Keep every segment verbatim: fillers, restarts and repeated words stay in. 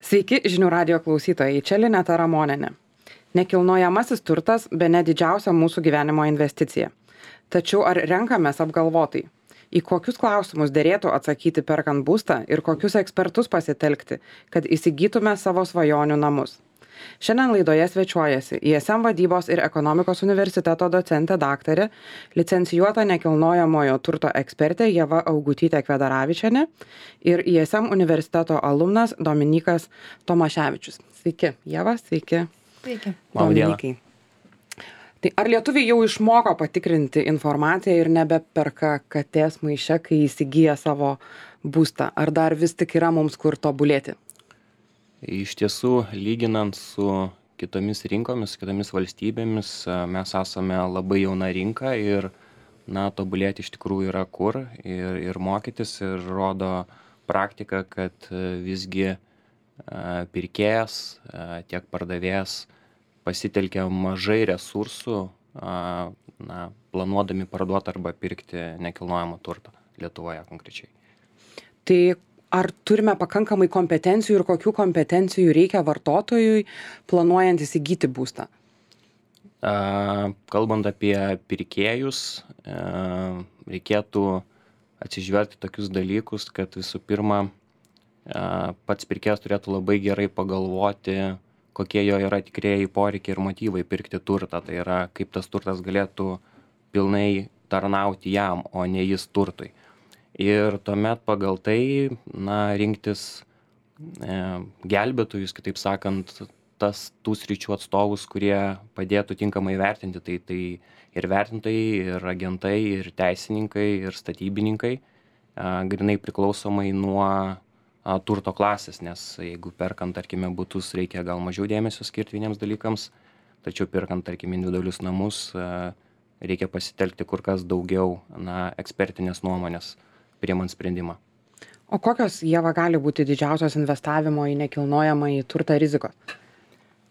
Sveiki, žinių radijo klausytojai, čia Lineta Ramonienė. Nekilnojamasis turtas bene didžiausia mūsų gyvenimo investicija. Tačiau ar renkamės apgalvotai? Į kokius klausimus derėtų atsakyti perkant būstą ir kokius ekspertus pasitelkti, kad įsigytume savo svajonių namus? Šiandien laidoje svečiuojasi I S M vadybos ir ekonomikos universiteto docentė daktarė, licencijuota nekilnojamojo turto ekspertė Ieva Augutytė Kvedaravičienė ir I S M universiteto alumnas Dominykas Tomaševičius. Sveiki, Ieva, sveiki. Sveiki. Dominikai. Tai ar lietuviai jau išmoko patikrinti informaciją ir nebeperka katės maiše, kai įsigyja savo būstą? Ar dar vis tik yra mums kur tobulėti? Iš tiesų, lyginant su kitomis rinkomis, kitomis valstybėmis, mes esame labai jauna rinka ir, na, tobulėti iš tikrųjų yra kur ir, ir mokytis ir rodo praktika, kad visgi pirkėjas, tiek pardavėjas pasitelkia mažai resursų, na, planuodami parduoti arba pirkti nekilnojamą turtą Lietuvoje konkrečiai. Tai ar turime pakankamai kompetencijų ir kokių kompetencijų reikia vartotojui planuojant įsigyti būstą? Kalbant apie pirkėjus, reikėtų atsižvelgti tokius dalykus, kad visų pirma, pats pirkėjas turėtų labai gerai pagalvoti, kokie jo yra tikrieji poreikiai ir motyvai pirkti turtą. Tai yra, kaip tas turtas galėtų pilnai tarnauti jam, o ne jis turtui. Ir tuomet pagal tai, na, rinktis e, gelbėtojus, kitaip sakant, tas tų sričių atstovus, kurie padėtų tinkamai vertinti. Tai, tai ir vertintojai, ir agentai, ir teisininkai, ir statybininkai, a, grinai priklausomai nuo a, turto klasės, nes jeigu perkant, tarkime, butus, reikia gal mažiau dėmesio skirti vieniems dalykams, tačiau perkant, tarkime, individualius namus, a, reikia pasitelkti kur kas daugiau, na, ekspertinės nuomonės priimant sprendimą. O kokios, Ieva, gali būti didžiausios investavimo į nekilnojamąjį turtą rizikos?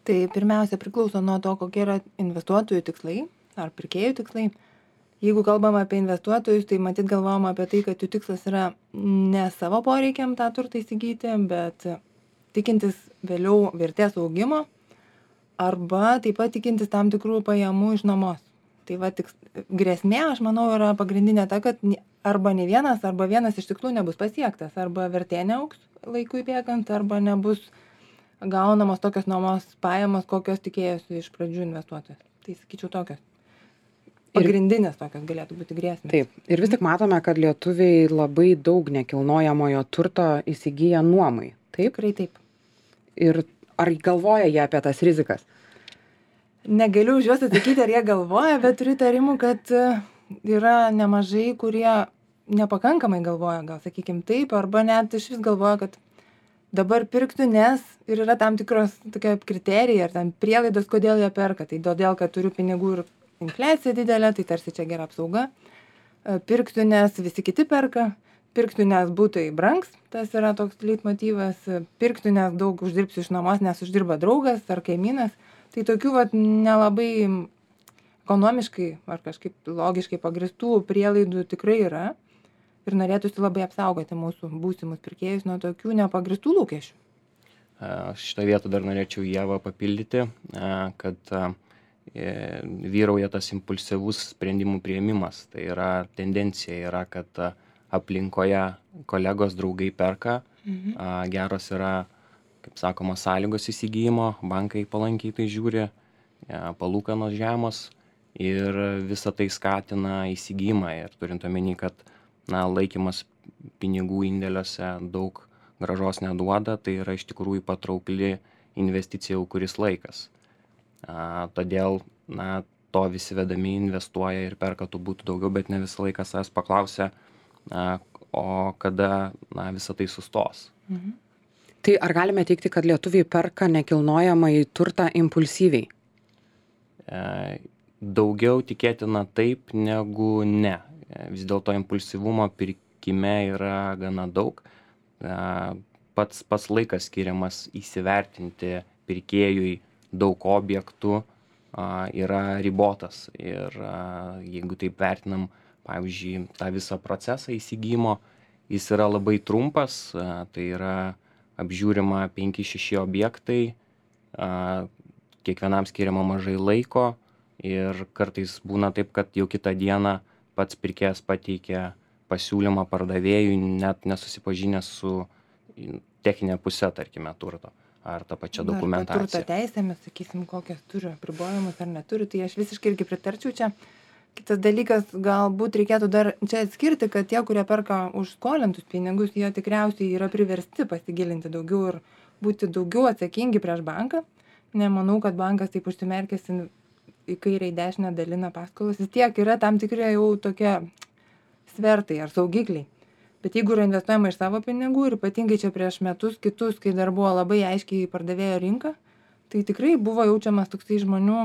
Tai pirmiausia priklauso nuo to, kokie yra investuotojų tikslai ar pirkėjų tikslai. Jeigu kalbam apie investuotojus, tai matyt galvojam apie tai, kad jų tikslas yra ne savo poreikiam tą turtą įsigyti, bet tikintis vėliau vertės augimo arba taip pat tikintis tam tikrų pajamų iš nuomos. Tai va, tik, grėsmė, aš manau, yra pagrindinė ta, kad arba ne vienas, arba vienas iš tikslų nebus pasiektas, arba vertė neaugs laikui bėgant, arba nebus gaunamos tokios nuomos pajamos, kokios tikėjosi iš pradžių investuotojas. Tai sakyčiau tokios. Pagrindinės tokios galėtų būti grėsmės. Taip. Ir vis tik matome, kad lietuviai labai daug nekilnojamojo turto įsigyja nuomai. Taip? Tikrai taip. Ir ar galvoja jie apie tas rizikas? Negaliu už juos atsakyti, ar jie galvoja, bet turiu tarimų, kad yra nemažai, kurie nepakankamai galvoja, gal sakykim taip, arba net iš vis galvoja, kad dabar pirktų, nes ir yra tam tikros tokie kriterijai ar tam prielaidos, kodėl jie perka. Tai todėl, kad turiu pinigų ir infliacija didelė, tai tarsi čia gera apsauga. Pirktų, nes visi kiti perka. Pirktų, nes būtai brangs, tas yra toks leitmotyvas. Pirktų, nes daug uždirbsiu iš nuomos, nes uždirba draugas ar kaimynas. Tai tokių vat nelabai ekonomiškai ar kažkaip logiškai pagristų prielaidų tikrai yra. Ir norėtųsi labai apsaugoti mūsų būsimus pirkėjus nuo tokių nepagristų lūkesčių. Šitą vietą dar norėčiau Ievą papildyti, kad vyrauja tas impulsyvus sprendimų priėmimas. Tai yra tendencija, yra, kad aplinkoje kolegos draugai perka, mhm. geros yra, kaip sakoma, sąlygos įsigijimo, bankai palankiai tai žiūri, palūkanos žemos ir visa tai skatina įsigijimą. Ir turint omeny, kad na, laikymas pinigų indėliuose daug grąžos neduoda, tai yra iš tikrųjų patraukli investicija jau kuris laikas. A, todėl na, to visi vedami investuoja ir perka tų būtų daugiau, bet ne visą laiką savęs paklausia, a, o kada na, visa tai sustos. Mhm. Tai ar galime teikti, kad lietuviai perka nekilnojamąjį turtą impulsyviai? E, daugiau tikėtina taip negu ne. Vis dėlto impulsyvumo pirkime yra gana daug. E, pats, pats laikas skiriamas įsivertinti pirkėjui daug objektų a, yra ribotas. Ir a, jeigu taip vertinam, pavyzdžiui, tą visą procesą įsigijimo, jis yra labai trumpas, a, tai yra apžiūrima penki šeši objektai, a, kiekvienam skiriama mažai laiko ir kartais būna taip, kad jau kitą dieną pats pirkėjas pateikia pasiūlymą pardavėjui, net nesusipažinęs su techninė pusė, tarkime, turto ar tą pačią dokumentaciją. Turto teisėmis, sakysim, kokias turi apribojimus ar neturi, tai aš visiškai irgi pritarčiau čia. Kitas dalykas, galbūt reikėtų dar čia atskirti, kad tie, kurie perka už skolintus pinigus, jie tikriausiai yra priversti pasigilinti daugiau ir būti daugiau atsakingi prieš banką. Nemanau, kad bankas taip užsimerkęs į kairę į dešinę dalina paskolas. Vis tiek yra tam tikrai jau tokie svertai ar saugikliai. Bet jeigu yra investuojama iš savo pinigų ir ypatingai čia prieš metus kitus, kai dar buvo labai aiškiai pardavėjo rinka, tai tikrai buvo jaučiamas toksai žmonių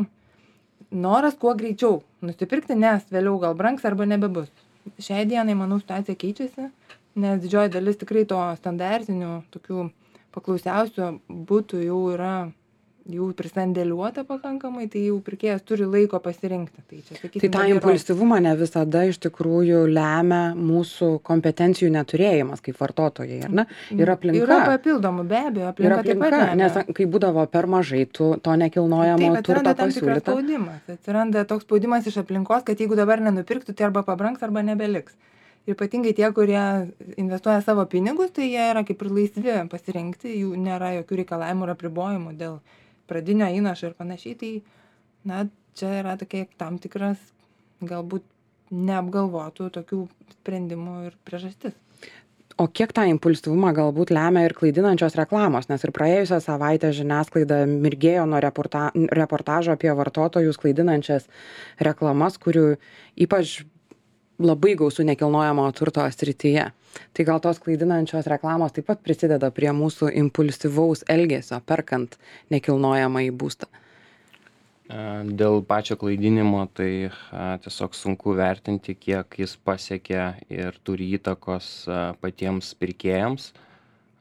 noras kuo greičiau nusipirkti, nes vėliau gal brangs arba nebebus. Šiai dienai, manau, situacija keičiasi, nes didžioji dalis tikrai to standartinių, tokių paklausiausių būtų jau yra jau prisandėliuota pakankamai, tai jau pirkėjas turi laiko pasirinkti. Tai, čia, sakysim, tai tą impulsyvumą ne visada iš tikrųjų lemia mūsų kompetencijų neturėjimas kaip vartotojai, ar ne? Ir aplinka. Yra papildomų, be abejo, aplinka, ir aplinka taip pat. Nes kai būdavo per mažai tu, to nekilnojamo taip, turto tam tikras pasiūlyta. Spaudimas. Atsiranda toks spaudimas iš aplinkos, kad jeigu dabar nenupirktų, tai arba pabrangs, arba nebeliks. Ir ypatingai tie, kurie investuoja savo pinigus, tai jie yra kaip ir laisvi pasirinkti, jų nėra jokių reikalavimų ir apribojimų dėl pradinio įnašo ir panašiai, tai, na, čia yra tokia tam tikras galbūt neapgalvotų tokių sprendimų ir priežastis. O kiek tą impulsyvumą galbūt lemia ir klaidinančios reklamos, nes ir praėjusią savaitę žiniasklaida mirgėjo nuo reporta, reportažo apie vartotojus klaidinančias reklamas, kurių ypač labai gausų nekilnojamo turto srityje. Tai gal tos klaidinančios reklamos taip pat prisideda prie mūsų impulsyvaus elgesio, perkant nekilnojamąjį būstą. Dėl pačio klaidinimo tai a, tiesiog sunku vertinti, kiek jis pasiekia ir turi įtakos a, patiems pirkėjams.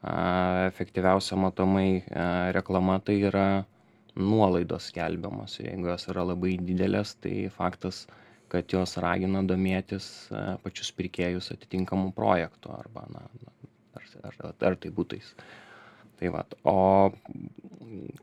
A, efektyviausia matomai a, reklama tai yra nuolaidos skelbiamos. Jeigu jos yra labai didelės, tai faktas, kad jos ragina domėtis a, pačius pirkėjus atitinkamų projektų arba, na, ar, ar, ar tai būtais. Tai va, o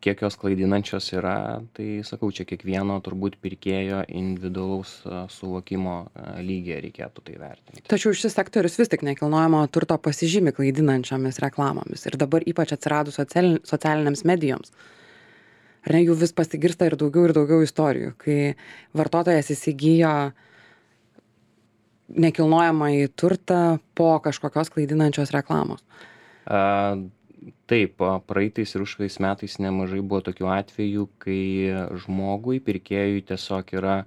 kiek jos klaidinančios yra, tai sakau, čia kiekvieno turbūt pirkėjo individualaus a, suvokimo a, lygiai reikėtų tai vertinti. Tačiau šis sektorius vis tik nekilnojamo turto pasižymi klaidinančiomis reklamomis ir dabar ypač atsiradus socialinėms medijoms. Ar ne, jų vis pasigirsta ir daugiau ir daugiau istorijų, kai vartotojas įsigijo nekilnojamąjį turtą po kažkokios klaidinančios reklamos. A, taip, praeitais ir užpraeitais metais nemažai buvo tokių atvejų, kai žmogui, pirkėjui tiesiog yra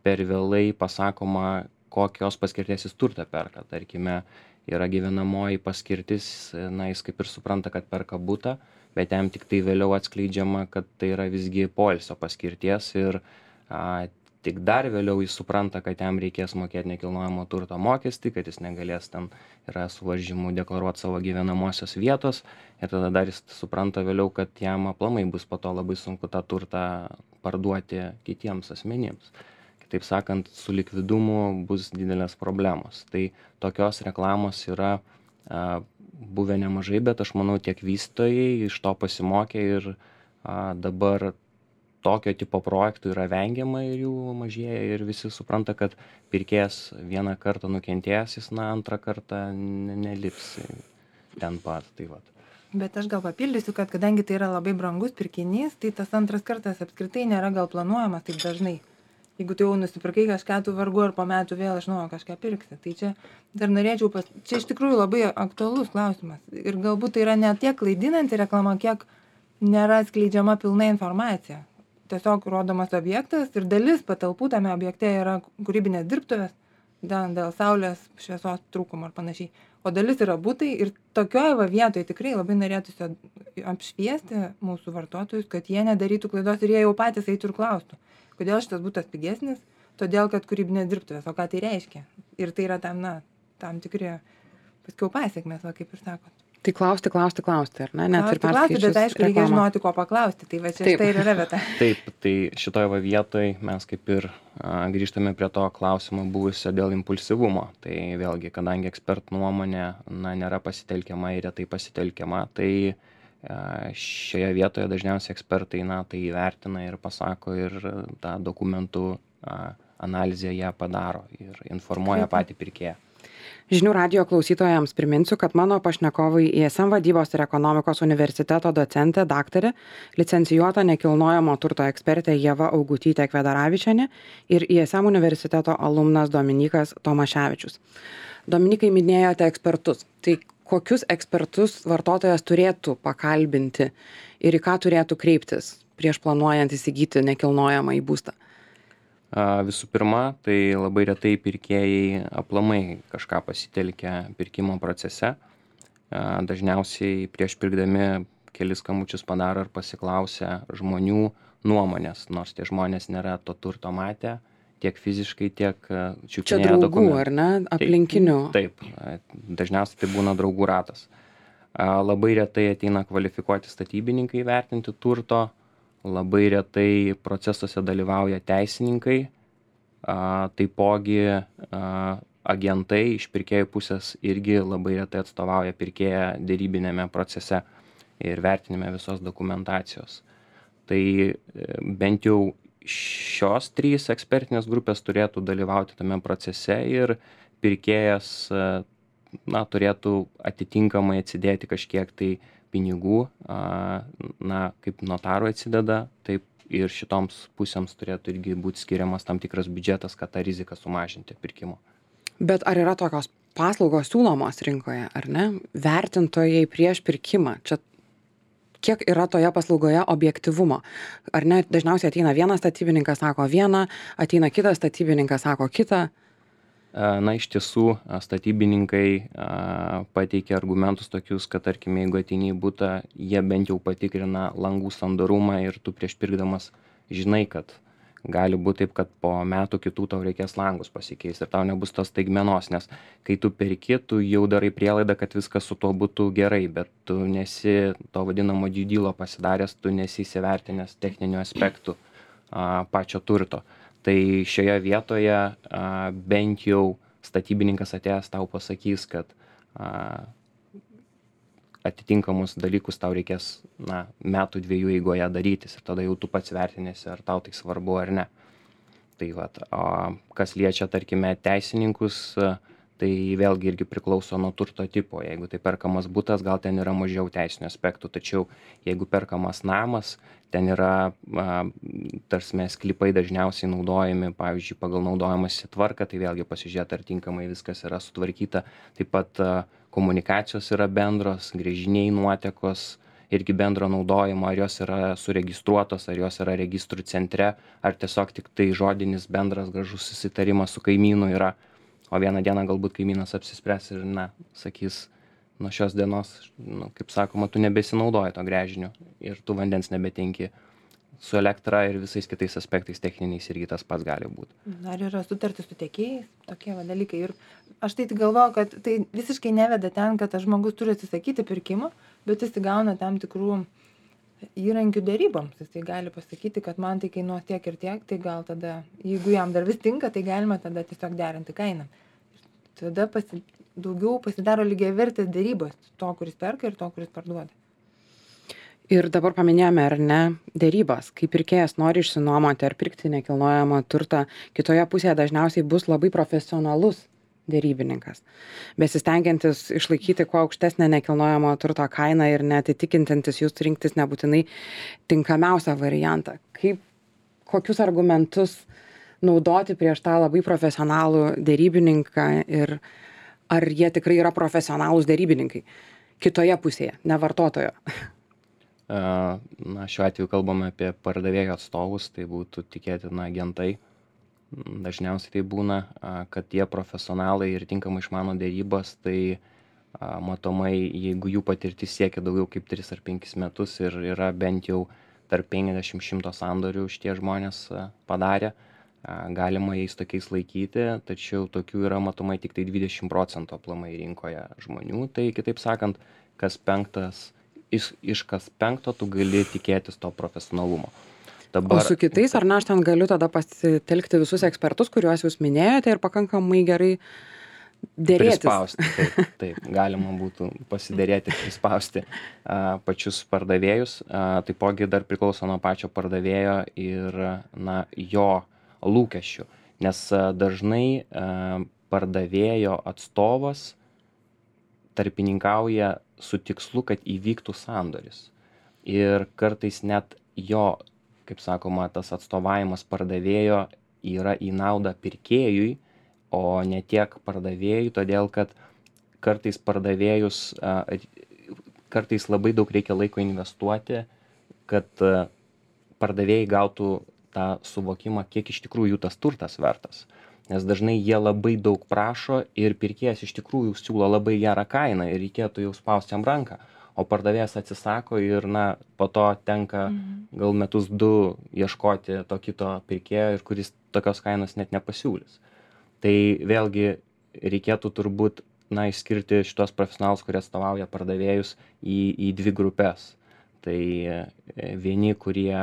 per vėlai pasakoma, kokios paskirties jis turtą perka. Tarkime, yra gyvenamoji paskirtis, na, jis kaip ir supranta, kad perka butą, bet jam tik tai vėliau atskleidžiama, kad tai yra visgi poilsio paskirties ir a, tik dar vėliau jis supranta, kad jam reikės mokėti nekilnojamo turto mokestį, kad jis negalės ten yra suvaržymų deklaruoti savo gyvenamosios vietos ir tada dar jis supranta vėliau, kad jam aplamai bus po to labai sunku tą turtą parduoti kitiems asmenims. Kitaip sakant, su likvidumu bus didelės problemos. Tai tokios reklamos yra a, buvę nemažai, bet aš manau tiek vystytojai iš to pasimokė ir a, dabar tokio tipo projektų yra vengiama ir jų mažėja ir visi supranta, kad pirkėjas vieną kartą nukentėjęs, jis na antrą kartą nelips ten pat. Tai vat. Bet aš gal papildysiu, kad kadangi tai yra labai brangus pirkinys, tai tas antras kartas apskritai nėra gal planuojamas taip dažnai. Jeigu tu jau nusipirkai kažką, tu vargu ar po metų vėl iš naujo kažką pirksi. Tai čia dar norėčiau, pas... čia iš tikrųjų labai aktualus klausimas. Ir galbūt tai yra ne tiek klaidinanti reklama, kiek nėra atskleidžiama pilna informacija. Tiesiog rodomas objektas ir dalis patalpų tame objekte yra kūrybinės dirbtuvės dėl saulės šviesos trūkumo ar panašiai. O dalis yra butai ir tokioje va vietoje tikrai labai norėtųsi apšviesti mūsų vartotojus, kad jie nedarytų klaidos ir jie jau patys eitų ir klaustų. Kodėl šitas būtas pigesnis? Todėl, kad kūrybinės dirbtuvės. O ką tai reiškia? Ir tai yra tam, na, tam tikri paskiau pasiekmes, va, kaip ir sakot. Tai klausti, klausti, klausti, ar ne? Net Klausti, ir klausti, bet perskaičius aišku, reikia reklamą. žinoti, ko paklausti. Tai va čia Taip. štai ir yra vieta. Taip, tai šitoje va vietoj mes kaip ir a, grįžtame prie to klausimo buvusio dėl impulsyvumo. Tai vėlgi, kadangi ekspertų nuomonė na, nėra pasitelkiama ir retai pasitelkiama, tai a, šioje vietoje dažniausiai ekspertai na, tai įvertina ir pasako ir tą dokumentų a, analizę ją padaro ir informuoja Tikrai. patį pirkėją. Žinių radijo klausytojams priminsiu, kad mano pašnekovai I S M vadybos ir ekonomikos universiteto docentė, daktarė, licencijuota nekilnojamo turto ekspertė Ieva Augutytė Kvedaravičienė ir I S M universiteto alumnas Dominykas Tomaševičius. Dominikai, minėjote ekspertus. Tai kokius ekspertus vartotojas turėtų pakalbinti ir į ką turėtų kreiptis prieš planuojant įsigyti nekilnojamą į būstą? A, Visų pirma, tai labai retai pirkėjai aplamai kažką pasitelkia pirkimo procese. A, Dažniausiai prieš pirkdami kelis skambučius padaro ir pasiklausia žmonių nuomonės, nors tie žmonės nėra to turto matę tiek fiziškai, tiek a, Čia čiupinėję draugų, dokumentų. ar ne? Aplinkinių. Taip, a, dažniausiai tai būna draugų ratas. A, Labai retai ateina kvalifikuoti statybininkai vertinti turto, labai retai procesuose dalyvauja teisininkai, a, taipogi a, agentai iš pirkėjų pusės irgi labai retai atstovauja pirkėją dėrybinėme procese ir vertinime visos dokumentacijos. Tai e, bent jau šios trys ekspertinės grupės turėtų dalyvauti tame procese ir pirkėjas e, na, turėtų atitinkamai atsidėti kažkiek tai pinigų, a, na, kaip notarui atsideda, taip ir šitoms pusėms turėtų irgi būti skiriamas tam tikras biudžetas, kad tą riziką sumažinti pirkimo. Bet ar yra tokios paslaugos siūlomos rinkoje, ar ne? Vertintojai prieš pirkimą. Čia kiek yra toje paslaugoje objektyvumo? Ar ne? Dažniausiai ateina vienas statybininkas, sako vieną, ateina kitas statybininkas, sako kitą. Na, iš tiesų, statybininkai a, pateikia argumentus tokius, kad, tarkim, jeigu ateini į butą, jie bent jau patikrina langų sandarumą ir tu prieš pirkdamas žinai, kad gali būti taip, kad po metų kitų tau reikės langus pasikeisti ir tau nebus tos staigmenos, nes kai tu perki, tu jau darai prielaidą, kad viskas su tuo būtų gerai, bet tu nesi to vadinamo due dealo pasidaręs, tu nesi įsivertinęs techninių aspektų a, pačio turto. Tai šioje vietoje a, bent jau statybininkas atėjęs tau pasakys, kad a, atitinkamus dalykus tau reikės na, metų dviejų eigoje darytis ir tada jau tu pats vertinėsi, ar tau tai svarbu ar ne. Tai vat, o kas liečia, tarkime, teisininkus, tai vėlgi irgi priklauso nuo turto tipo. Jeigu tai perkamas butas, gal ten yra mažiau teisinių aspektų, tačiau jeigu perkamas namas, ten yra, tarsi sklypai dažniausiai naudojami, pavyzdžiui, pagal naudojimąsi tvarką, tai vėlgi pasižiūrėti, ar tinkamai viskas yra sutvarkyta. Taip pat komunikacijos yra bendros, gręžiniai, nuotekos, irgi bendro naudojimo, ar jos yra suregistruotos, ar jos yra registrų centre, ar tiesiog tik tai žodinis bendras gražus susitarimas su kaimynu yra. O vieną dieną galbūt kaimynas apsispręs ir, na, sakys, nuo šios dienos, nu, kaip sakoma, tu nebesinaudoji to gręžinio ir tu vandens nebetenki. Su elektra ir visais kitais aspektais techniniais irgi tas pats gali būti. Dar yra sutartis su tiekėjais, tokie va dalykai. Ir aš tai tik galvoju, kad tai visiškai neveda ten, kad tas žmogus turi atsisakyti pirkimo, bet jis įgauna tam tikrų įrankių dėryboms. Jis tai gali pasakyti, kad man tai kainuos tiek ir tiek, tai gal tada, jeigu jam dar vis tinka, tai galima tada tiesiog derinti kainą. Tada pasi, daugiau pasidaro lygiavertės dėrybos to, kuris perka ir to, kuris parduoda. Ir dabar paminėjome, ar ne, dėrybas. Kai pirkėjas nori išsinuomoti ar pirkti nekilnojamą turtą, kitoje pusėje dažniausiai bus labai profesionalus dėrybininkas, besistengiantis išlaikyti kuo aukštesnę nekilnojamo turto kainą ir netitikintis jūs rinktis nebūtinai tinkamiausią variantą. Kaip, kokius argumentus naudoti prieš tą labai profesionalų dėrybininką ir ar jie tikrai yra profesionalūs dėrybininkai kitoje pusėje, ne vartotojo? Na, šiuo atveju kalbame apie pardavėjo atstovus, tai būtų tikėtina agentai. Dažniausiai tai būna, kad tie profesionalai ir tinkamai išmano dėrybas, tai matomai, jeigu jų patirtis siekia daugiau kaip tris ar penkis metus ir yra bent jau tarp penkiasdešimt šimto sandorių šitie žmonės padarė, galima jais tokiais laikyti, tačiau tokių yra matomai tik tai dvidešimt procentų aplamai rinkoje žmonių. Tai kitaip sakant, kas penktas, iš, iš kas penkto tu gali tikėtis to profesionalumo. Dabar, o su kitais, ar ne, aš ten galiu tada pasitelkti visus ekspertus, kuriuos jūs minėjote ir pakankamai gerai dėrėtis. Prispausti, taip, taip, galima būtų pasidėrėti ir prispausti a, pačius pardavėjus. A, taipogi dar priklauso nuo pačio pardavėjo ir na, jo lūkesčių, nes a, dažnai a, pardavėjo atstovas tarpininkauja su tikslu, kad įvyktų sandoris. Ir kartais net jo, kaip sakoma, tas atstovavimas pardavėjo yra į naudą pirkėjui, o ne tiek pardavėjui, todėl kad kartais pardavėjus, kartais labai daug reikia laiko investuoti, kad pardavėjai gautų tą suvokimą, kiek iš tikrųjų jų tas turtas vertas. Nes dažnai jie labai daug prašo ir pirkėjas iš tikrųjų siūlo labai gerą kainą ir reikėtų jau spausti jam ranką, o pardavėjas atsisako ir na, po to tenka mhm. gal metus du ieškoti to kito pirkėjo ir kuris tokios kainos net nepasiūlys. Tai vėlgi reikėtų turbūt na, išskirti šitos profesionalus, kurie atstovauja pardavėjus į, į dvi grupės. Tai vieni, kurie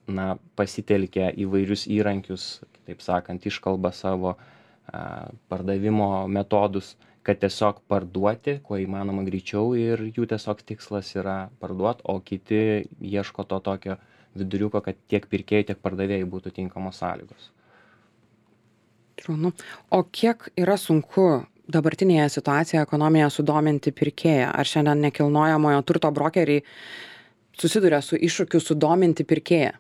na, pasitelkia įvairius įrankius, taip sakant, iškalba savo a, pardavimo metodus, kad tiesiog parduoti, kuo įmanoma greičiau ir jų tiesiog tikslas yra parduoti, o kiti ieško to tokio viduriuko, kad tiek pirkėjai, tiek pardavėjai būtų tinkamos sąlygos. Šaunu. O kiek yra sunku dabartinėje situacijoje ekonominėje sudominti pirkėją? Ar šiandien nekilnojamojo turto brokeriai susiduria su iššūkiu sudominti pirkėją?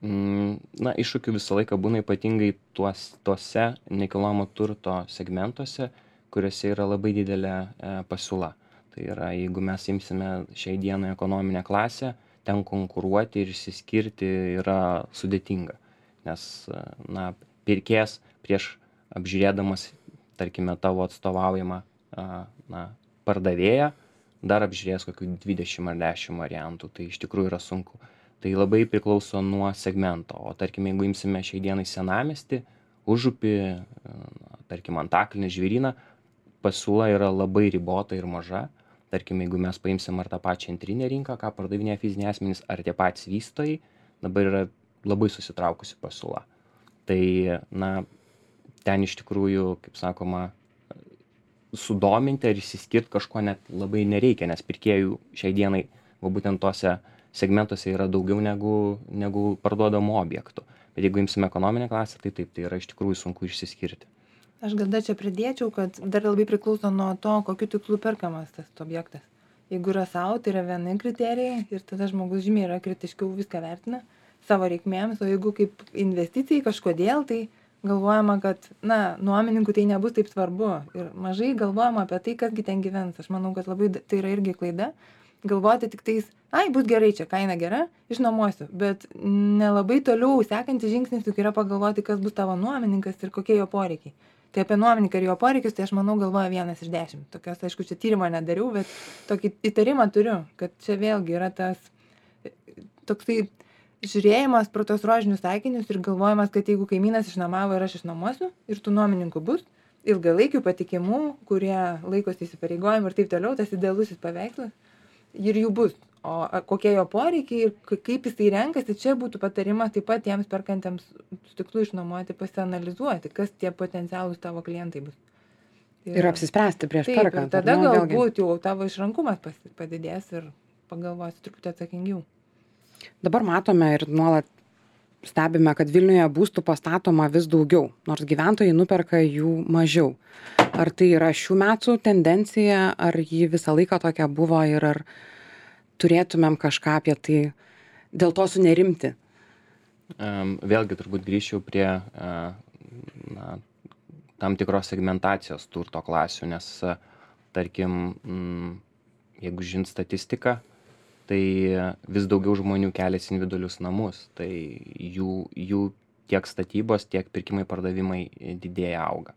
Na, iššūkių visą laiką būna ypatingai tuos, tuose nekilnojamo turto segmentuose, kuriuose yra labai didelė e, pasiūla. Tai yra, jeigu mes imsime šiai dienai ekonominę klasę, ten konkuruoti ir išsiskirti yra sudėtinga. Nes, na, pirkėjas prieš apžiūrėdamas, tarkime, tavo atstovaujamą na, pardavėją, dar apžiūrės kokių dvidešimt ar dešimt variantų. Tai iš tikrųjų yra sunku. Tai labai priklauso nuo segmento. O tarkim, jeigu imsime šiai dienai senamiestį, užupį, tarkim, Antakalnį, Žvėryną, pasiūla yra labai ribota ir maža. Tarkim, jeigu mes paimsim ar tą pačią antrinę rinką, ką pardavinėja fiziniai asmenys, ar tie patys vystytojai, dabar yra labai susitraukusi pasiūla. Tai, na, ten iš tikrųjų, kaip sakoma, sudominti ar išsiskirti kažko net labai nereikia, nes pirkėjų šiai dienai, va būtent tose segmentuose yra daugiau negu, negu parduodamų objektų. Bet jeigu imsime ekonominę klasę, tai taip, tai yra iš tikrųjų sunku išsiskirti. Aš gal dar čia pridėčiau, kad dar labai priklauso nuo to, kokiu tikslu perkamas tas objektas. Jeigu yra savo, tai yra vieni kriterijai ir tada žmogus žymiai yra kritiškiau viską vertina savo reikmėms, o jeigu kaip investicijai kažkodėl, tai galvojama, kad, na, nuomininkų tai nebus taip svarbu ir mažai galvojama apie tai, kasgi ten gyvens. Aš manau, kad labai tai yra irgi klaida. Galvoti tik tais, ai, bus gerai, čia kaina gera, išnuomosiu, bet nelabai toliau sekantis žingsnis juk yra pagalvoti, kas bus tavo nuomininkas ir kokie jo poreikiai. Tai apie nuomininką ir jo poreikius, tai aš manau galvoja vienas iš dešimt. Tokios, aišku, čia tyrimo nedariau, bet tokį įtarimą turiu, kad čia vėlgi yra tas toksai žiūrėjimas pro tos rožinius akinius ir galvojimas, kad jeigu kaimynas išnuomavo ir aš išnuomosiu ir tų nuomininkų bus, ilgalaikių patikimų, kurie laikosi įsipareigojimų ir taip toliau, tas idealusis paveikslas ir jų bus. O kokie jo poreikiai ir kaip jisai renkasi, čia būtų patarimas taip pat tiems perkantiems su tikslu išnuomoti, pasianalizuoti, kas tie potencialūs tavo klientai bus. Ir, ir apsispręsti prieš taip, perkant. Ir tada galbūt jau tavo išrankumas padidės ir pagalvosi truputį atsakingiau. Dabar matome ir nuolat stebime, kad Vilniuje būstų pastatoma vis daugiau, nors gyventojai nuperka jų mažiau. Ar tai yra šių metų tendencija, ar ji visą laiką tokia buvo ir ar turėtumėm kažką apie tai dėl to sunerimti? Um, vėlgi turbūt grįžčiau prie uh, na, tam tikros segmentacijos turto klasių, nes uh, tarkim, mm, jeigu žint statistiką, tai vis daugiau žmonių keliasi individualius namus, tai jų, jų tiek statybos, tiek pirkimai, pardavimai didėja, auga.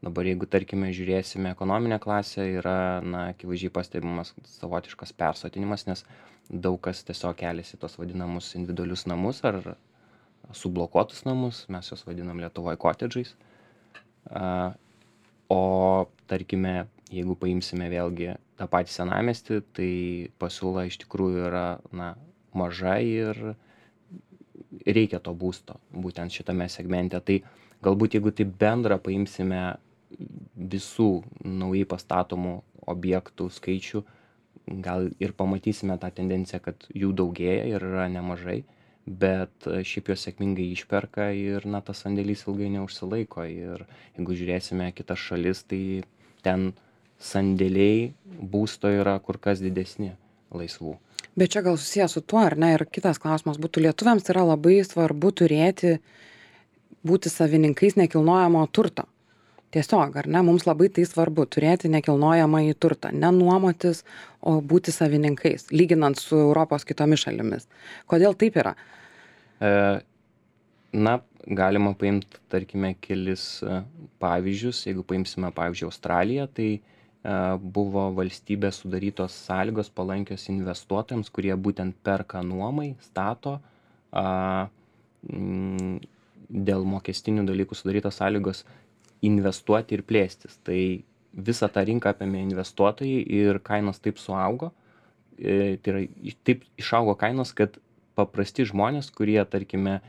Dabar jeigu, tarkime, žiūrėsime ekonominę klasę, yra, na, akivaizdžiai pastebimas savotiškas persotinimas, nes daug kas tiesiog keliasi tos vadinamus individualius namus ar sublokuotus namus, mes juos vadinam Lietuvoje kotedžais. O, tarkime, jeigu paimsime vėlgi tą patį senamiestį, tai pasiūla iš tikrųjų yra na, maža ir reikia to būsto būtent šitame segmente. Tai galbūt jeigu tai bendrą paimsime visų naujai pastatomų objektų skaičių, gal ir pamatysime tą tendenciją, kad jų daugėja ir yra nemažai, bet šiaip jos sėkmingai išperka ir na, tas sandėlys ilgai neužsilaiko. Ir jeigu žiūrėsime kitas šalis, tai ten sandėliai būsto yra kur kas didesni laisvų. Bet čia gal susijęs su tuo, ar ne, ir kitas klausimas būtų, lietuviams yra labai svarbu turėti, būti savininkais nekilnojamo turto. Tiesiog, ar ne, mums labai tai svarbu turėti nekilnojamąjį turtą, nenuomotis, o būti savininkais, lyginant su Europos kitomis šalimis. Kodėl taip yra? E, na, galima paimti, tarkime, kelis pavyzdžius. Jeigu paimsime, pavyzdžiui, Australiją, tai buvo valstybės sudarytos sąlygos palankios investuotojams, kurie būtent perka nuomai, stato, a, m, dėl mokestinių dalykų sudarytos sąlygos investuoti ir plėstis. Tai visą tą rinką apėmė investuotojai ir kainos taip suaugo, e, tai yra taip išaugo kainos, kad paprasti žmonės, kurie, tarkime,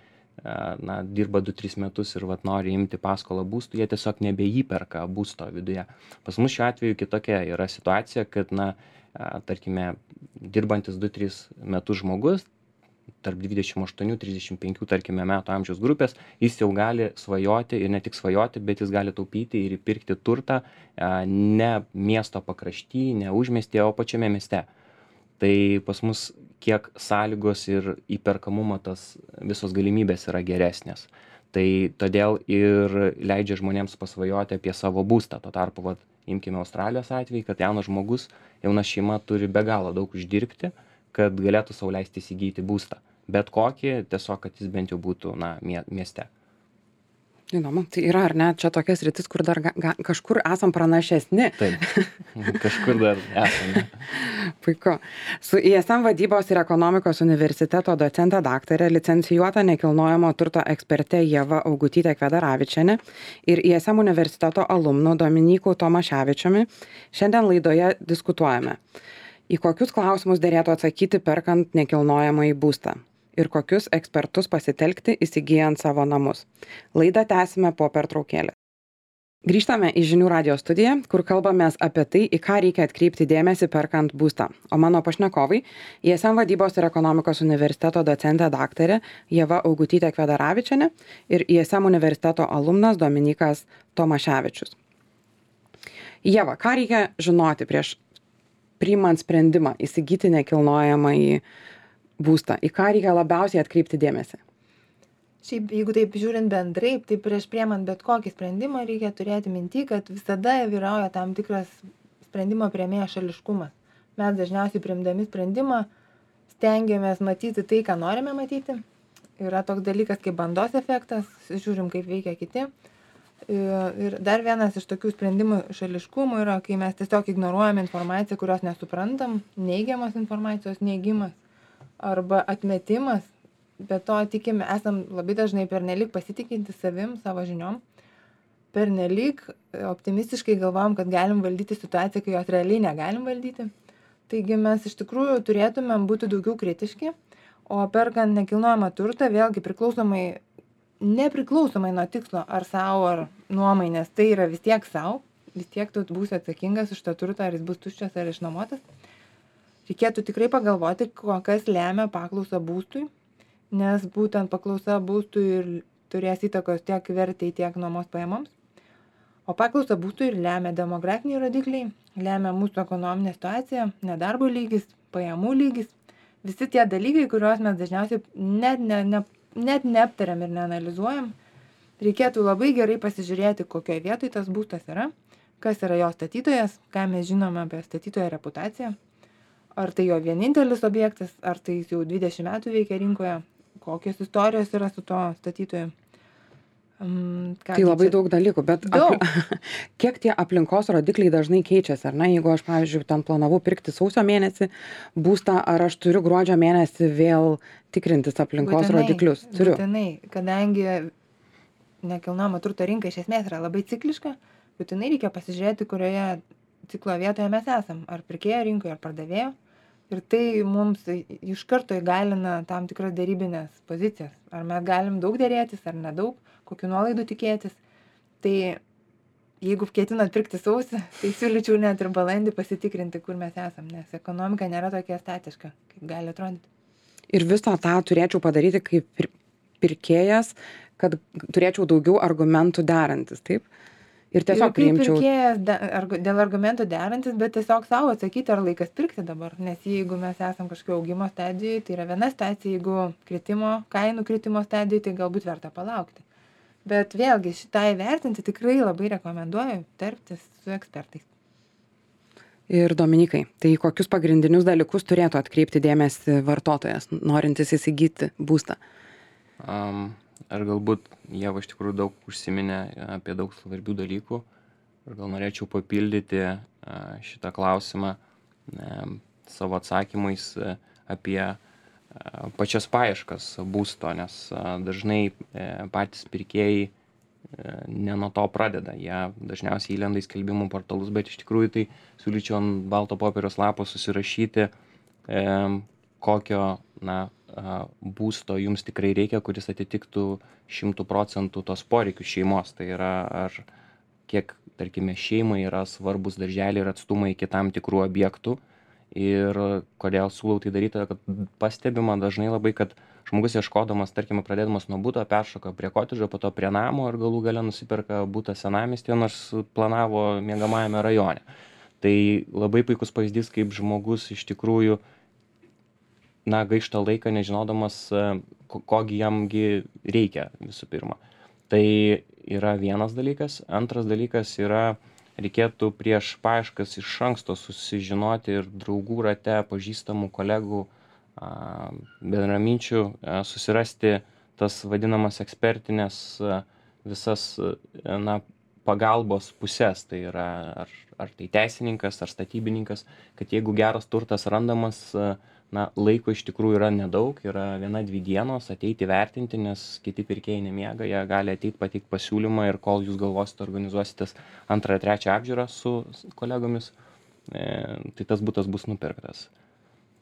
na, dirba du tris metus ir vat nori imti paskolą būstui, jie tiesiog nebeįperka būsto viduje. Pas mus šiuo atveju kitokia yra situacija, kad, na, tarkime, dirbantis du tris metus žmogus, tarp dvidešimt aštuonių trisdešimt penkių, tarkime, metų amžiaus grupės, jis jau gali svajoti ir ne tik svajoti, bet jis gali taupyti ir įpirkti turtą ne miesto pakrašty, ne užmiestyje, o pačiame mieste. Tai pas mus kiek sąlygos ir įperkamumo tas visos galimybės yra geresnės. Tai todėl ir leidžia žmonėms pasvajoti apie savo būstą. Tuo tarpu, vat, imkime Australijos atvejį, kad jaunas žmogus, jauna šeima turi be galo daug uždirbti, kad galėtų sau leisti įsigyti būstą. Bet kokį, tiesiog, kad jis bent jau būtų na, mieste. Įdomu, tai yra ar ne, čia tokia sritis, kur dar ga, ga, kažkur esam pranašesni. Taip, kažkur dar esame. Puiku. Su I S M vadybos ir ekonomikos universiteto docente daktarė, licencijuota nekilnojamo turto eksperte Ieva Augutytė Kvedaravičienė ir I S M universiteto alumnu Dominyku Tomaševičiumi šiandien laidoje diskutuojame, į kokius klausimus derėtų atsakyti perkant nekilnojamąjį būstą ir kokius ekspertus pasitelkti įsigyjant savo namus. Laidą tęsime po pertraukėlės. Grįžtame į Žinių radijo studiją, kur kalbamės apie tai, į ką reikia atkreipti dėmesį perkant būstą. O mano pašnekovai I S M vadybos ir ekonomikos universiteto docentė daktarė Ieva Augutytė Kvedaravičienė ir I S M universiteto alumnas Dominykas Tomaševičius. Ieva, ką reikia žinoti prieš priimant sprendimą įsigyti nekilnojamąjį būstą, į ką reikia labiausiai atkreipti dėmesį? Šiaip, jeigu taip žiūrint bendrai, tai prieš priemant bet kokį sprendimą reikia turėti minty, kad visada vyrauja tam tikras sprendimo priėmėjo šališkumas. Mes dažniausiai priimdami sprendimą stengiamės matyti tai, ką norime matyti. Yra toks dalykas kaip bandos efektas, žiūrim, kaip veikia kiti. Ir dar vienas iš tokių sprendimų šališkumų yra, kai mes tiesiog ignoruojame informaciją, kurios nesuprantam, neigiamos informacijos neigimas arba atmetimas, bet to tikime, esam labai dažnai pernelyg pasitikinti savim, savo žiniom, pernelyg optimistiškai galvom, kad galim valdyti situaciją, kai jos realiai negalim valdyti. Taigi mes iš tikrųjų turėtumėm būti daugiau kritiški, o perkant nekilnojamą turtą, vėlgi priklausomai, nepriklausomai nuo tikslo, ar savo, ar nuomai, nes tai yra vis tiek savo, vis tiek tu būsi atsakingas už tą turtą, ar jis bus tuščias ar išnuomotas. Reikėtų tikrai pagalvoti, kas lemia paklausą būstui, nes būtent paklausa būstui ir turės įtakos tiek vertei, tiek nuomos pajamoms. O paklausa būstui ir lemia demografiniai rodikliai, lemia mūsų ekonominė situacija, nedarbo lygis, pajamų lygis. Visi tie dalykai, kuriuos mes dažniausiai net, ne, ne, net neaptariam ir neanalizuojam. Reikėtų labai gerai pasižiūrėti, kokioje vietoje tas būstas yra, kas yra jo statytojas, ką mes žinome apie statytojo reputaciją. Ar tai jo vienintelis objektas, ar tai jis jau dvidešimt metų veikia rinkoje, kokios istorijos yra su to statytoju. Um, tai labai čia? Daug dalykų, bet daug. Apli... kiek tie aplinkos rodikliai dažnai keičiasi, ar ne? Jeigu aš, pavyzdžiui, ten planavau pirkti sausio mėnesį būstą, ar aš turiu gruodžio mėnesį vėl tikrintis aplinkos būtinai, rodiklius? Turiu. Būtinai, kadangi nekilnojamo turto rinka iš esmės yra labai cikliška, būtinai reikia pasižiūrėti, kurioje ciklo vietoje mes esam, ar pirkėjo rinkoje, ar pardavėjo. Ir tai mums iš karto įgalina tam tikras dėrybinės pozicijas. Ar mes galim daug dėrėtis, ar nedaug, kokiu nuolaidų tikėtis. Tai jeigu ketinat pirkti sausį, tai siūlyčiau net ir balandį pasitikrinti, kur mes esam, nes ekonomika nėra tokia statiška, kaip gali atrodyti. Ir viso tą turėčiau padaryti kaip pir- pirkėjas, kad turėčiau daugiau argumentų derantis, taip? Ir tiesiog Ir kaip priimčiau. pirkėjas de- argu- dėl argumentų derantis, bet tiesiog savo atsakyti, ar laikas pirkti dabar. Nes jeigu mes esam kažkokio augimo stadijoje, tai yra viena stacija, jeigu kritimo, kainų kritimo stadijoje, tai galbūt verta palaukti. Bet vėlgi šitą įvertinti tikrai labai rekomenduoju tarptis su ekspertais. Ir Dominikai, tai kokius pagrindinius dalykus turėtų atkreipti dėmesį vartotojas, norintis įsigyti būstą? Um, Ar galbūt Ieva iš tikrųjų daug užsiminė apie daug svarbių dalykų ir gal norėčiau papildyti a, šitą klausimą e, savo atsakymais e, apie a, pačias paieškas būsto, nes a, dažnai e, patys pirkėjai e, ne nuo to pradeda. Jie dažniausiai įlenda į skelbimų portalus, bet iš tikrųjų tai siūlyčiau ant balto popieriaus lapo susirašyti, e, kokio na, a, būsto jums tikrai reikia, kuris atitiktų šimtų procentų tos poreikius šeimos. Tai yra, ar kiek, tarkime, šeimai yra svarbus darželiai ir atstumai iki tam tikrų objektų. Ir kodėl siūlau tai daryti, kad pastebima dažnai labai, kad žmogus ieškodamas, tarkime, pradėdamas nuo buto, peršoka prie kotedžo, po to prie namo ir galų gale nusiperka butą senamiestyje, nors planavo miegamajame rajone. Tai labai puikus pavyzdys, kaip žmogus iš tikrųjų na, gaišta laiką nežinodamas, ko- kogi jamgi reikia visų pirma. Tai yra vienas dalykas. Antras dalykas yra, reikėtų prieš paieškas iš anksto susižinoti ir draugų rate, pažįstamų kolegų, a, bendraminčių, a, susirasti tas vadinamas ekspertinės a, visas a, na, pagalbos pusės. Tai yra ar, ar tai teisininkas, ar statybininkas, kad jeigu geras turtas randamas, a, na, laiko iš tikrųjų yra nedaug, yra viena, dvi dienos ateiti vertinti, nes kiti pirkėjai nemiega, jie gali ateiti pateikti pasiūlymą ir kol jūs galvosite, organizuositės antrą, trečią apžiūrą su su kolegomis, e, tai tas butas bus nupirktas.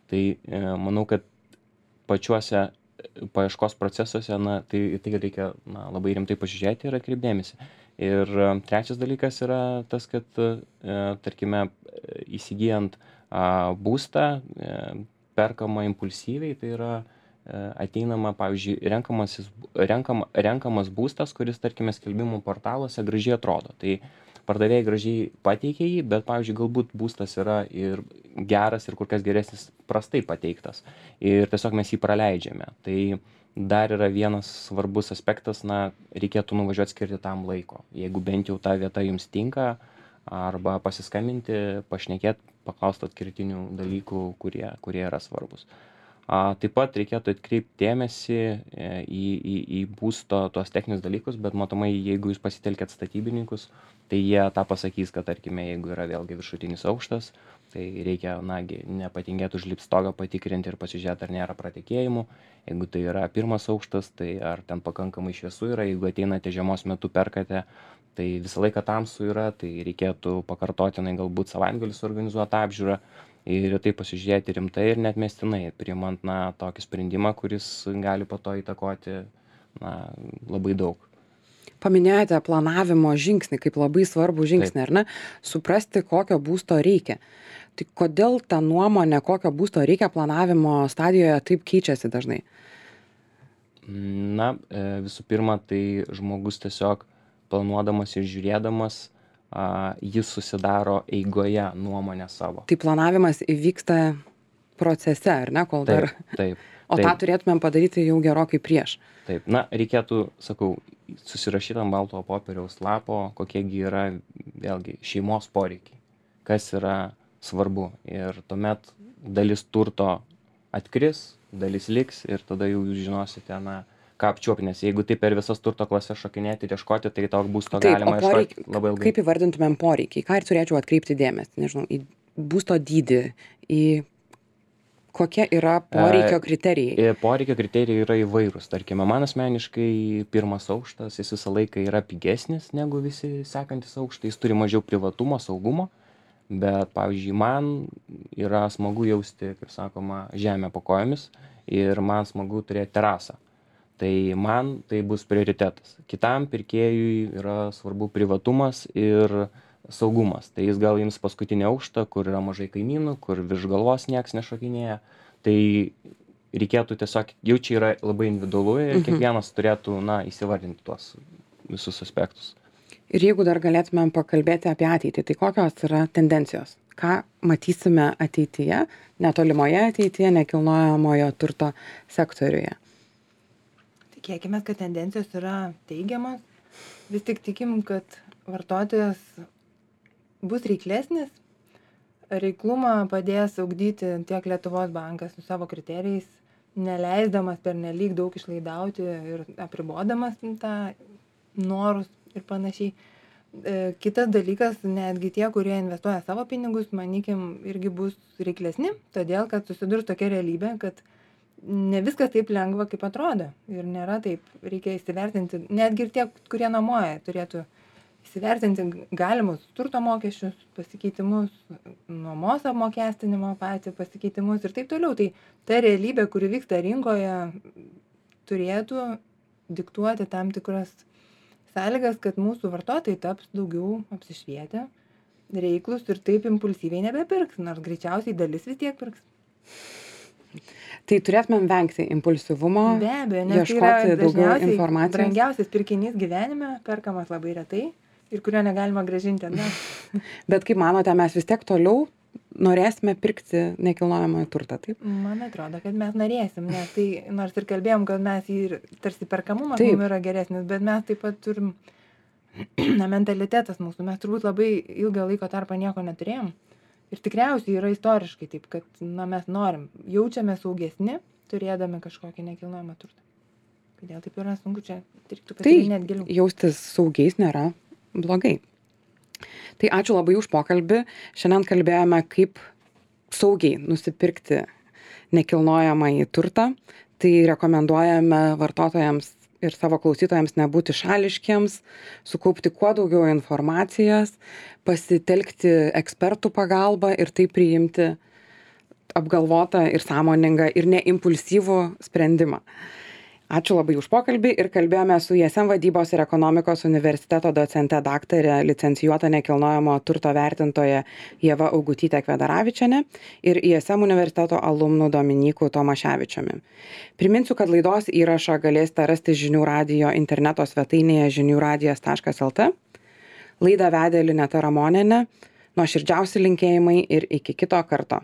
Tai e, manau, kad pačiuose paieškos procesuose, na, tai, tai reikia na, labai rimtai pasižiūrėti ir atkreipdėmėsi. Ir e, trečias dalykas yra tas, kad, e, tarkime, įsigijant a, būstą, e, perkama impulsyviai, tai yra e, ateinama, pavyzdžiui, renkamasis, renkama, renkamas būstas, kuris, tarkime, skelbimų portaluose gražiai atrodo. Tai pardavėjai gražiai pateikia jį, bet, pavyzdžiui, galbūt būstas yra ir geras ir kur kas geresnis prastai pateiktas. Ir tiesiog mes jį praleidžiame. Tai dar yra vienas svarbus aspektas, na, reikėtų nuvažiuoti skirti tam laiko. Jeigu bent jau ta vieta jums tinka, arba pasiskambinti, pašnekėti, paklausti atkirtinių dalykų, kurie, kurie yra svarbus. A, taip pat reikėtų atkreipti dėmesį e, į, į, į būsto tuos techninius dalykus, bet matomai, jeigu jūs pasitelkėt statybininkus, tai jie tą pasakys, kad, tarkime, jeigu yra vėlgi viršutinis aukštas, tai reikia, nagi, nepatingėti užlipti stogą, patikrinti ir pasižiūrėti, ar nėra pratekėjimų. Jeigu tai yra pirmas aukštas, tai ar ten pakankamai šviesu yra, jeigu ateinate žiemos metu perkate, tai visą laiką tamsu yra, tai reikėtų pakartotinai galbūt savaitgalį suorganizuoti apžiūrą ir tai pasižiūrėti rimtai ir net mestinai, priimant na, tokį sprendimą, kuris gali po to įtakoti na, labai daug. Paminėjote planavimo žingsnį kaip labai svarbų žingsnį, ar ne? Suprasti, kokio būsto reikia. Tai kodėl ta nuomonė, kokio būsto reikia planavimo stadijoje taip keičiasi dažnai? Na, visų pirma, tai žmogus tiesiog planuodamas ir žiūrėdamas, a, jis susidaro eigoje nuomonę savo. Tai planavimas įvyksta procese, ar ne, kol dar... Taip, taip. O taip, tą turėtumėm padaryti jau gerokai prieš. Taip, na, reikėtų, sakau, susirašyti ant balto popieriaus lapo, kokiegi yra, vėlgi, šeimos poreikiai, kas yra svarbu. Ir tuomet dalis turto atkris, dalis liks ir tada jau jūs žinosite, na, ką apčiuopti, nes jeigu taip per visas turto klases šokinėti ir ieškoti, tai to būsto Taip, galima o poreik- ieškoti labai ilgai. Kaip įvardintumėm poreikiai? Ką ir turėčiau atkreipti dėmesį? Nežinau, į būsto dydį, į kokie yra poreikio kriterijai. Ir poreikio kriterijai yra įvairūs. Tarkime, man asmeniškai pirmas aukštas, jis visą laiką yra pigesnis negu visi sekantis aukštai, jis turi mažiau privatumo, saugumo. Bet, pavyzdžiui, man yra smagu jausti, kaip sakoma, žemę po kojomis ir man smagu turėti terasą. Tai man tai bus prioritetas. Kitam pirkėjui yra svarbu privatumas ir saugumas. Tai jis gal ims paskutinį aukštą, kur yra mažai kaimynų, kur virš galvos nieks nešokinėja. Tai reikėtų tiesiog, jau čia yra labai individualu ir Mhm. kiekvienas turėtų, na, įsivardinti tuos visus aspektus. Ir jeigu dar galėtumėm pakalbėti apie ateitį, tai kokios yra tendencijos? Ką matysime ateityje, netolimoje ateityje, nekilnojamojo turto sektoriuje? Tikėkime, kad tendencijos yra teigiamas. Vis tik tikim, kad vartotojas bus reiklesnis. Reiklumą padės ugdyti tiek Lietuvos bankas su savo kriterijais, neleisdamas pernelyg daug išlaidauti ir apribodamas tą norus ir panašiai. E, Kitas dalykas, netgi tie, kurie investuoja savo pinigus, manykim, irgi bus reiklesni, todėl kad susidurs tokia realybė, kad ne viskas taip lengva, kaip atrodo. Ir nėra taip, reikia įsivertinti, netgi ir tie, kurie nuomoja, turėtų įsivertinti galimus turto mokesčius, pasikeitimus, nuomos apmokestinimo patį pasikeitimus ir taip toliau. Tai ta realybė, kuri vyksta rinkoje, turėtų diktuoti tam tikras sąlygas, kad mūsų vartotojai taps daugiau apsišvietę, reiklus ir taip impulsyviai nebepirks, nors greičiausiai dalis vis tiek pirks. Tai turėtumėm vengti impulsyvumo, Be abejo, nes tai yra ieškoti daugiau dažniausiai informacijos. brangiausias pirkinys gyvenime, perkamas labai retai ir kurio negalima grąžinti atgal. Bet kaip manote, mes vis tiek toliau norėsime pirkti nekilnojamąjį turtą, taip? Man atrodo, kad mes norėsim, nes tai, nors ir kalbėjom, kad mes jį ir tarsi perkamumas Taip. mums yra geresnis, bet mes taip pat turim, na, mentalitetas mūsų, mes turbūt labai ilgą laiko tarpą nieko neturėjom. Ir tikriausiai yra istoriškai taip, kad, na, mes norim, jaučiame saugesni, turėdami kažkokį nekilnojamą turtą. Kodėl taip yra sunku, čia reiktų Tai pasigilinėt giliau. jaustis saugiais nėra blogai. Tai ačiū labai už pokalbį. Šiandien kalbėjome, kaip saugiai nusipirkti nekilnojamąjį turtą. Tai rekomenduojame vartotojams ir savo klausytojams nebūti šališkiems, sukaupti kuo daugiau informacijos, pasitelkti ekspertų pagalbą ir taip priimti apgalvotą ir sąmoningą ir neimpulsyvų sprendimą. Ačiū labai už pokalbį ir kalbėjome su I S M vadybos ir ekonomikos universiteto docente daktarė licencijuota nekilnojamo turto vertintoja Ieva Augutytė Kvedaravičienė ir I S M universiteto alumnu Dominyku Tomaševičiumi. Priminsiu, kad laidos įrašą galėsite rasti žinių radijo interneto svetainėje žinių radijas taškas el t. Laidą vedė Lineta Ramonienė. Nuoširdžiausi linkėjimai ir iki kito karto.